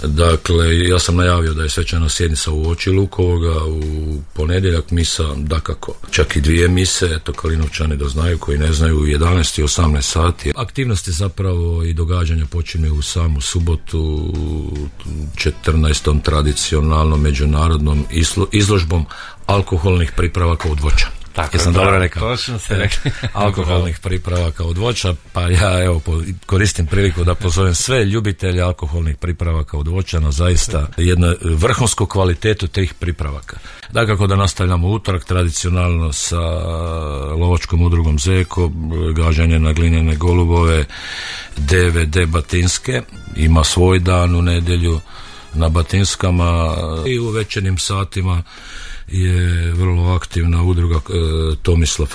Dakle, ja sam najavio da je svečana sjednica u oči Lukovoga u ponedjeljak, misa dakako, čak i 2 mise, eto Kalinovčani da znaju, koji ne znaju, u 11 i 18 sati. Aktivnosti zapravo i događanja počinju u samu subotu, 14. tradicionalnom međunarodnom izložbom alkoholnih pripravaka od voća. Tako, jesam dobro rekao? Točno ste rekli. Alkoholnih pripravaka od voća, pa ja evo koristim priliku da pozovem sve ljubitelje alkoholnih pripravaka od voća na zaista jednu vrhunsku kvalitetu tih pripravaka. Dakako da nastavljamo utorak tradicionalno sa lovačkom udrugom Zeko, gađanje na glinene golubove, DVD Batinske, ima svoj dan u nedjelju na Batinskama i u večernjim satima je vrlo aktivna udruga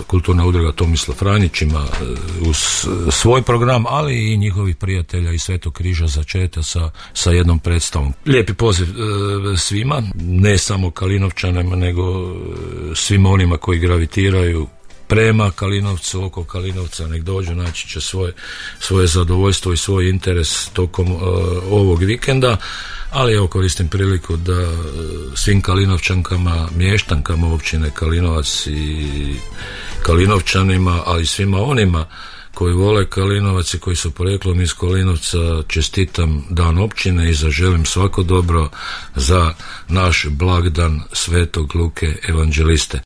kulturna udruga Tomislav Franjić, ima uz svoj program, ali i njihovih prijatelja iz Svetog križa začeta sa jednom predstavom. Lijepi poziv svima, ne samo Kalinovčanima, nego svima onima koji gravitiraju prema Kalinovcu, oko Kalinovca, nek dođu, naći će svoje zadovoljstvo i svoj interes tokom ovog vikenda. Ali evo koristim priliku da svim Kalinovčankama, mještankama općine Kalinovac i Kalinovčanima, ali i svima onima koji vole Kalinovac i koji su porijeklom iz Kalinovca, čestitam dan općine i zaželim svako dobro za naš blagdan Svetog Luke Evanđeliste.